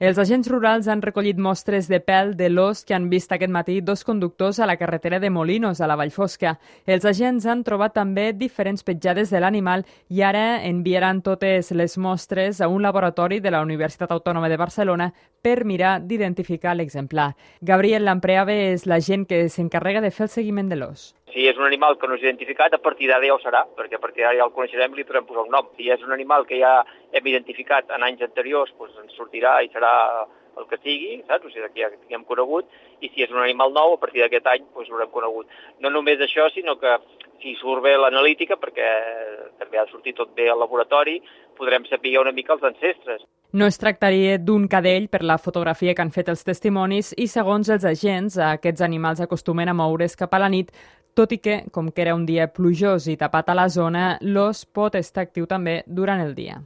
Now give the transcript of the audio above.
Els agents rurals han recollit mostres de pèl de l'ós que han vist aquest matí dos conductors a la carretera de Molinos, a la Vallfosca. Els agents han trobat també diferents petjades de l'animal i ara enviaran totes les mostres a un laboratori de la Universitat Autònoma de Barcelona per mirar d'identificar l'exemplar. Gabriel Lampreave és l'agent que s'encarrega de fer el seguiment de l'ós. Si és un animal que no és identificat, a partir d'ara ja ho serà, perquè a partir d'ara ja el coneixerem i li podrem posar un nom. Si és un animal que ja hem identificat en anys anteriors, doncs ens sortirà i serà el que sigui, saps? O sigui, que ja tinguem conegut, i si és un animal nou, a partir d'aquest any doncs l'haurem conegut. No només això, sinó que si surt bé l'analítica, perquè també ha sortit tot bé al laboratori, podrem saber una mica els ancestres. No es tractaria d'un cadell per la fotografia que han fet els testimonis i, segons els agents, aquests animals acostumen a moure's cap a la nit, tot i que, com que era un dia plujós i tapat a la zona, l'ós pot estar actiu també durant el dia.